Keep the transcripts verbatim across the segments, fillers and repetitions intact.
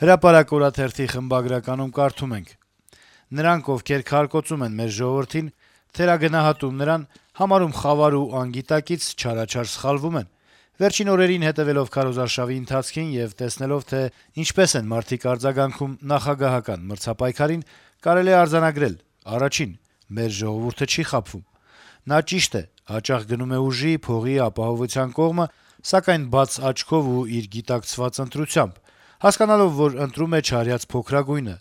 Հրապարակ օրաթերթի խմբագրականում կարդում ենք. - «Նրանք, ովքեր քարկոծում են մեր ժողովրդին, թերագնահատում նրան, համարում խավար ու անգիտակից, չարաչար սխալվում են: Վերջին օրերին հետեւելով քարոզարշավի ընթացքին եւ տեսնելով, թե ինչպես են մարդիկ արձագանքում նախագահական մրցապայքարին, կարելի է արձանագրել. առաջին՝ մեր ժողովուրդը չի խաբվում: Նա, ճիշտ է, հաճախ գնում է ուժի, փողի, ապահովության կողմը, սակայն բաց աչքով ու իր գիտակցված ընտրությամբ, հասկանալով, որ ընտրում է չարյաց փոքրագույնը: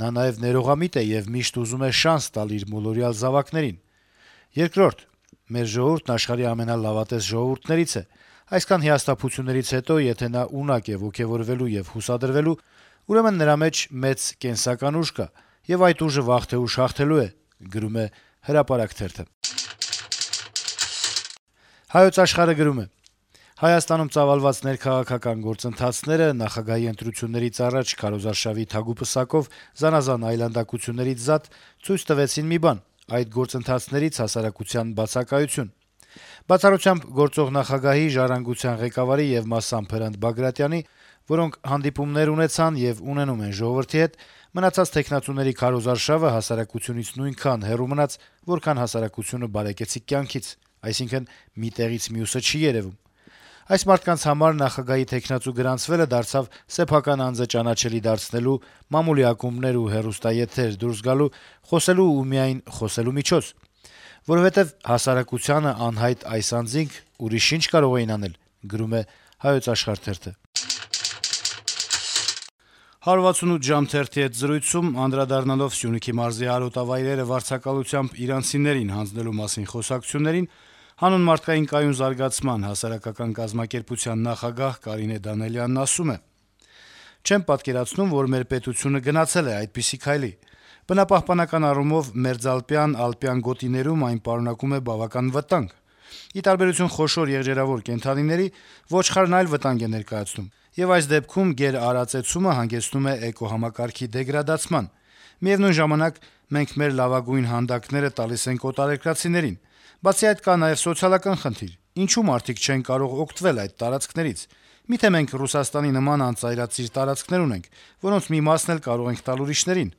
Նա նաեւ ներողամիտ է եւ միշտ ուզում է շանս տալ իր մոլորյալ զավակներին: Երկրորդ՝ մեր ժողովուրդն աշխարհի ամենալավատես ժողովուրդներից է: Այսքան հիասթափություններից հետո, եթե նա ունակ է ոգեւորվելու եւ հուսադրվելու, ուրեմն նրա մեջ մեծ կենսական ուժ կա, եւ այդ ուժը վաղ թե ուշ հաղթելու է»: «Հայոց Աշխարհ»-ը գրում է. - «Հայաստանում ծավալված ներքաղաքական գործընթացները նախագահի ընտրություններից առաջ քարոզարշավի թագուպսակով զանազան այլանդակություններից զատ ցույց տվեցին մի բան. այդ գործընթացներից հասարակության բացակայություն: Բացառությամբ գործող նախագահի, «Ժառանգության» ղեկավարի եւ մասամբ Հրանտ Բագրատյանի, որոնք հանդիպումներ ունեցան եւ ունենում են ժողովրդի հետ, մնացած թեկնածուների քարոզարշավը հասարակությունից նույնքան հեռու մնաց, որքան հասարակությունը բարեկեցիկ կյանքից: Այսինքն՝ մի տեղից մյուսը չի երեւում: Այս մարդկանց համար նախագահի թեկնածու գրանցվելը դարձավ սեփական անձը ճանաչելի դարձնելու, մամուլի ակումբներ ու հեռուստաեթեր դուրս գալու, խոսելու ու միայն խոսելու միջոց: Որովհետեւ հասարակությանը անհայտ այս անձինք ուրիշ ի՞նչ կարող էին անել»: «հարյուրվաթսունութ ժամ» թերթի հետ զրույցում, անդրադառնալով Սյունիքի մարզի արոտավայրերը վարձակալությամբ իրանցիներին հանձնելու մասին խոսակցություններին, «Հանուն մարդկային կայուն զարգացման» հասարակական կազմակերպության նախագահ Կարինե Դանիելյանն ասում է. - «Չեմ պատկերացնում, որ մեր պետությունը գնացել է այդպիսի քայլի: Բնապահպանական առումով մերձալպյան, ալպյան գոտիներում այն պարունակում է բավական վտանգ: Ի տարբերություն խոշոր եղջերավոր կենդանիների, ոչխարն այլ վտանգ է ներկայացնում, եւ այս դեպքում գերարածեցումը հանգեցնում է էկոհամակարգի դեգրադացման: Միեւնույն ժամանակ մենք մեր լավագույն հանդակները տալիս ենք օտարերկրացիներին: Բացի այդ, կա նաեւ սոցիալական խնդիր. ինչու մարդիկ չեն կարող օգտվել այդ տարածքներից: Միթե մենք Ռուսաստանի նման անծայրածիր տարածքներ ունենք, որոնց մի մասն էլ կարող ենք տալ ուրիշներին»: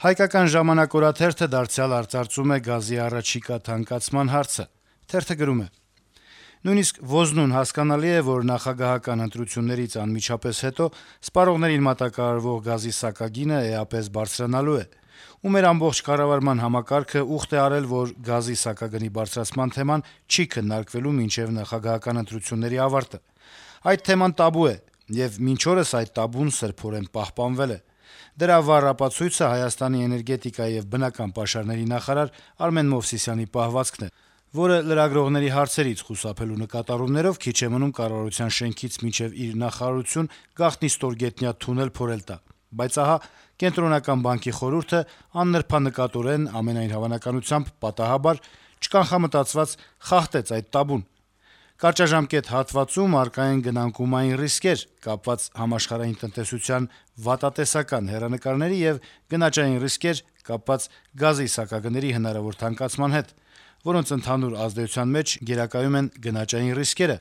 «Հայկական ժամանակ» օրաթերթը դարձյալ արծարծում է գազի առաջիկա թանկացման հարցը: Թերթը գրում է. - «Նույնիսկ ոզնուն հասկանալի է, որ նախագահական ընտրություններից անմիջապես հետո սպառողներին մատակարարվող գազի սակագինը էապես բարձրանալու է: Ու մեր ամբողջ կառավարման համակարգը ուխտ է արել, որ գազի սակագնի բարձրացման թեման չի քննարկվելու մինչեւ նախագահական ընտրությունների ավարտը: Այդ թեման տաբու է, եւ մինչ օրս այդ տաբուն սրբորեն պահպանվել է: Դրա վառ ապացույցը Հայաստանի էներգետիկայի եւ բնական պաշարների նախարար Արմեն Մովսիսյանի պահվածքն է, որը լրագրողների հարցերից խուսափելու նկատառումներով քիչ է մնում կառավարության շենքից մինչեւ իր նախարարություն գաղտնի ստորգետնյա թունել փորել տա: Բայց ահա Կենտրոնական բանկի խորհուրդը աննրբանկատորեն, ամենայն հավանականությամբ պատահաբար, չկանխամտածված խախտեց այդ տաբուն: Կարճաժամկետ հատվածում առկա են գնանկումային ռիսկեր` կապված համաշխարհային տնտեսության վատատեսական հեռանկարների եւ գնաճային ռիսկեր` կապված գազի սակագների հնարավոր թանկացման հետ, որոնց ընդհանուր ազդեցության մեջ գերակայում են գնաճային ռիսկերը: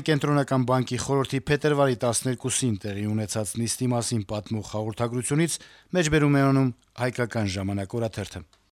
Կենտրոնական բանկի խորհրդի փետրվարի տասներկուսին տեղի ունեցած նիստի մասին պատմող հաղորդագրությունից մեջբերում է անում «Հայկական ժամանակ» օրաթերթը: